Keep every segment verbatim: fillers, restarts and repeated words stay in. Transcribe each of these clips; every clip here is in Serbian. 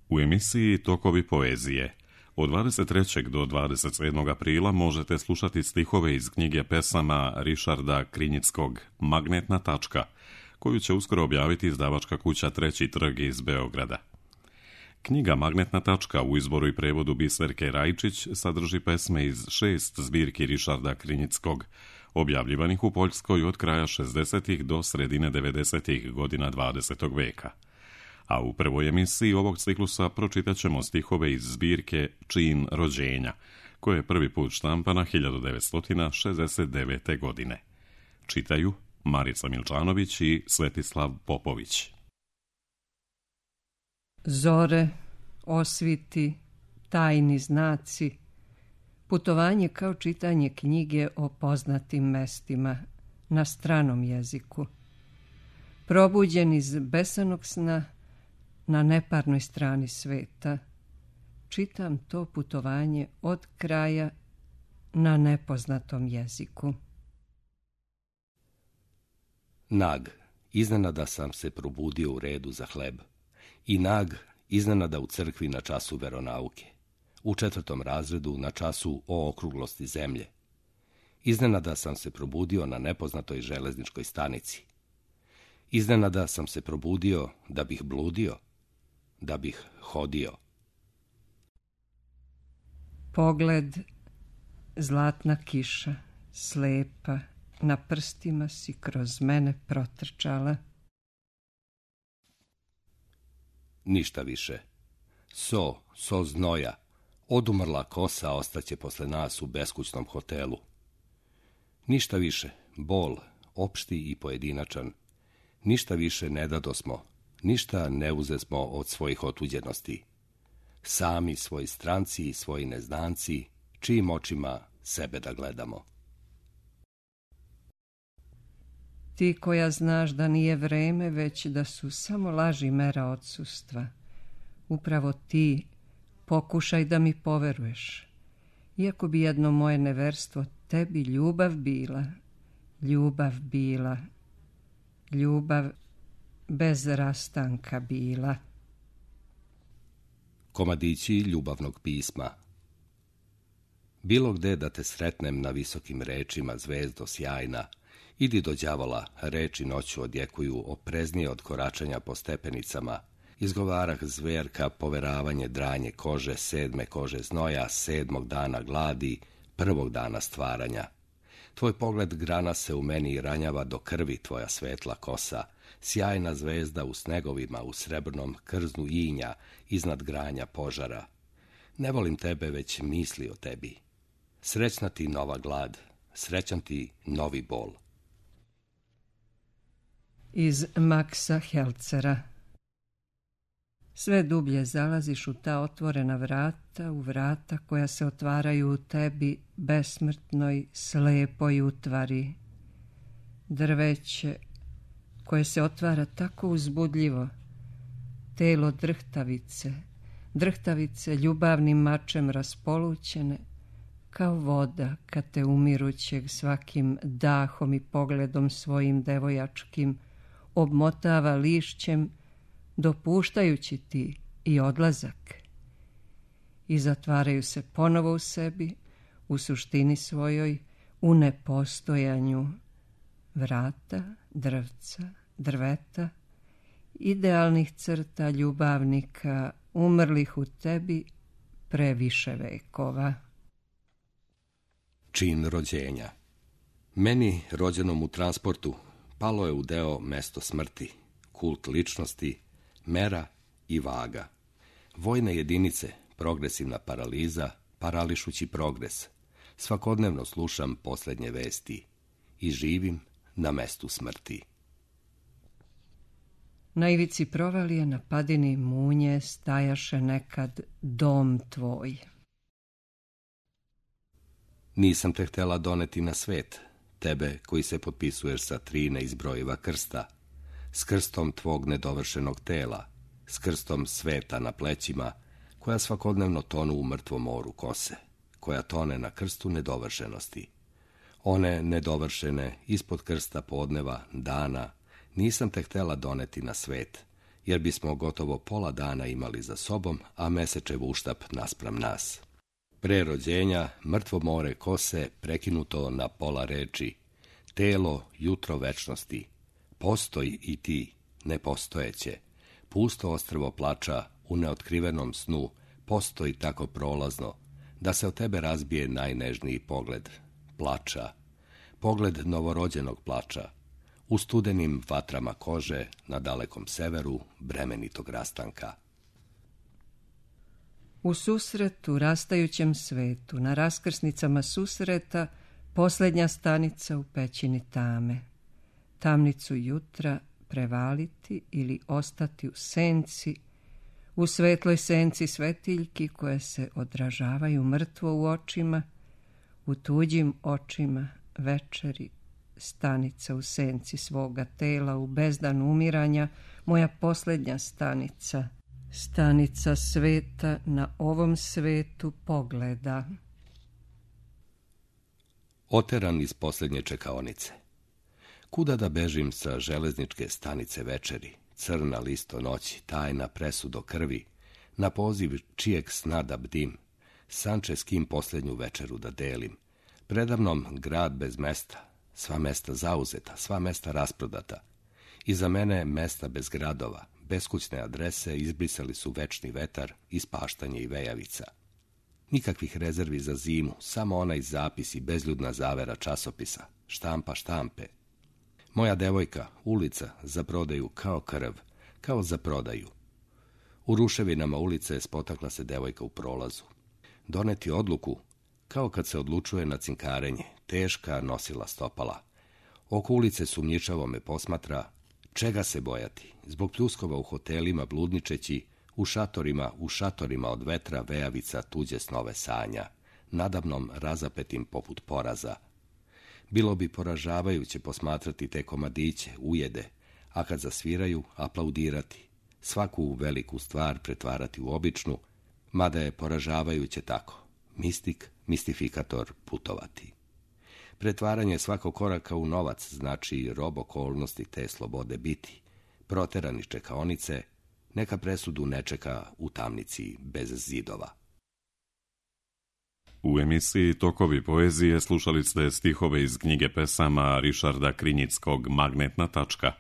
U emisiji Tokovi poezije od dvadeset trećeg do dvadeset sedmog aprila možete slušati stihove iz knjige pesama Rišarda Krinjickog Magnetna tačka, koju će uskoro objaviti izdavačka kuća Treći trg iz Beograda. Knjiga Magnetna tačka u izboru i prevodu Biserke Rajčić sadrži pesme iz šest zbirki Rišarda Krinjickog, objavljivanih u Poljskoj od kraja šezdesetih do sredine devedesetih godina dvadesetog veka. A u prvoj emisiji ovog ciklusa pročitat ćemo stihove iz zbirke Čin rođenja, koja je prvi put štampana hiljadu devetsto šezdeset devete. godine. Čitaju Marica Milčanović i Svetislav Popović. Zore, osviti, tajni znaci, putovanje kao čitanje knjige o poznatim mestima na stranom jeziku. Probuđen iz besanog sna na neparnoj strani sveta, čitam to putovanje od kraja na nepoznatom jeziku. Nag, iznenada sam se probudio u redu za hleb. I nag, iznenada u crkvi na času veronauke. U četvrtom razredu na času o okruglosti zemlje. Iznenada sam se probudio na nepoznatoj železničkoj stanici. Iznenada sam se probudio da bih bludio, da bih hodio. Pogled, zlatna kiša, slepa, na prstima si kroz mene protrčala. Ništa više. So, so znoja, odumrla kosa ostaće posle nas u beskućnom hotelu. Ništa više, bol, opšti i pojedinačan. Ništa više ne dadosmo, ništa ne uzesmo od svojih otuđenosti. Sami svoji stranci i svoji neznanci, čijim očima sebe da gledamo. Ti koja znaš da nije vreme, već da su samo laži mera odsustva. Upravo ti pokušaj da mi poveruješ. Iako bi jedno moje neverstvo tebi ljubav bila, ljubav bila, ljubav bez rastanka bila. Komadići ljubavnog pisma. Bilo gde da te sretnem na visokim rečima, zvezdo sjajna, idi do đavola, reči noću odjekuju opreznije od koračanja po stepenicama, izgovarah zverka, poveravanje, dranje kože, sedme kože znoja, sedmog dana gladi, prvog dana stvaranja. Tvoj pogled grana se u meni ranjava do krvi, tvoja svetla kosa, sjajna zvezda u snegovima, u srebrnom krznu inja, iznad granja požara. Ne volim tebe, već misli o tebi. Srećna ti nova glad, srećan ti novi bol. Iz Maxa Helcera. Sve dublje zalaziš u ta otvorena vrata, u vrata koja se otvaraju u tebi, besmrtnoj, slepoj utvari. Drveće koje se otvara tako uzbudljivo, telo drhtavice, drhtavice ljubavnim mačem raspolućene, kao voda kad te umirućeg svakim dahom i pogledom svojim devojačkim obmotava lišćem, dopuštajući ti i odlazak. I zatvaraju se ponovo u sebi, u suštini svojoj, u nepostojanju. Vrata, drvca, drveta, idealnih crta ljubavnika, umrlih u tebi pre više vekova. Čin rođenja. Meni, rođenom u transportu, palo je u deo mesto smrti, kult ličnosti, mera i vaga. Vojne jedinice, progresivna paraliza, parališući progres. Svakodnevno slušam posljednje vesti i živim na mestu smrti. Na ivici provalije na padini munje stajaše nekad dom tvoj. Nisam te htjela doneti na svet, tebe koji se potpisuješ sa tri neizbrojiva krsta, s krstom tvog nedovršenog tela, s krstom sveta na plećima, koja svakodnevno tonu u mrtvom moru kose, koja tone na krstu nedovršenosti. One nedovršene, ispod krsta podneva, dana, nisam te htjela doneti na svet, jer bismo gotovo pola dana imali za sobom, a mesečev uštap naspram nas. Pre rođenja, mrtvo more kose prekinuto na pola reči, telo, jutro večnosti, postoj i ti, nepostojeće, pusto ostrvo plača u neotkrivenom snu, postoji tako prolazno, da se od tebe razbije najnežniji pogled, plača, pogled novorođenog plača, u studenim vatrama kože na dalekom severu bremenitog rastanka. U susretu, rastajućem svetu, na raskrsnicama susreta, posljednja stanica u pećini tame. Tamnicu jutra prevaliti ili ostati u senci, u svetloj senci svetiljki koje se odražavaju mrtvo u očima, u tuđim očima večeri, stanica u senci svoga tela, u bezdan umiranja, moja posljednja stanica, stanica sveta na ovom svetu pogleda. Oteran iz posljednje čekaonice. Kuda da bežim sa železničke stanice večeri, crna listo noći, tajna presudo krvi, na poziv čijeg sna da bdim, sanče s kim posljednju večeru da delim, predamnom grad bez mesta, sva mesta zauzeta, sva mesta rasprodata. Iza mene mesta bez gradova, beskućne adrese izbrisali su večni vetar, ispaštanje i vejavica. Nikakvih rezervi za zimu, samo onaj zapis i bezljudna zavera časopisa, štampa štampe. Moja devojka, ulica, za prodaju kao krv, kao za prodaju. U ruševinama ulice spotakla se devojka u prolazu. Doneti odluku, kao kad se odlučuje na cinkarenje, teška nosila stopala. Oko ulice sumnjičavo me posmatra, čega se bojati, zbog pljuskova u hotelima bludničeći, u šatorima, u šatorima od vetra vejavica tuđe snove sanja, nadamnom razapetim poput poraza. Bilo bi poražavajuće posmatrati te komadiće, ujede, a kad zasviraju, aplaudirati, svaku veliku stvar pretvarati u običnu, mada je poražavajuće tako, mistik, mistifikator putovati. Pretvaranje svakog koraka u novac znači rob okolnosti te slobode biti, proterani čekaonice, neka presudu ne čeka u tamnici bez zidova. U emisiji Tokovi poezije slušali ste stihove iz knjige pesama Rišarda Krinjickog Magnetna tačka,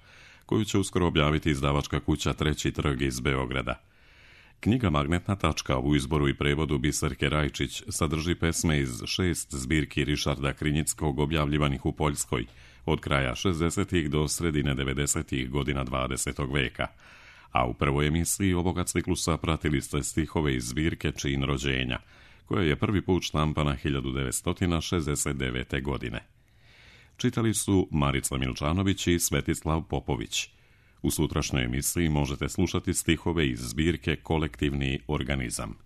koju će uskoro objaviti izdavačka kuća Treći trg iz Beograda. Knjiga Magnetna tačka u izboru i prevodu Biserke Rajčić sadrži pesme iz šest zbirki Rišarda Krinjickog objavljivanih u Poljskoj od kraja šezdesetih do sredine devedesetih godina dvadesetog veka, a u prvoj emisiji ovoga ciklusa pratili ste stihove iz zbirke Čin rođenja, koja je prvi put štampana hiljadu devetsto šezdeset devete. godine. Čitali su Marica Milčanović i Svetislav Popović. U sutrašnjoj emisiji možete slušati stihove iz zbirke Kolektivni organizam.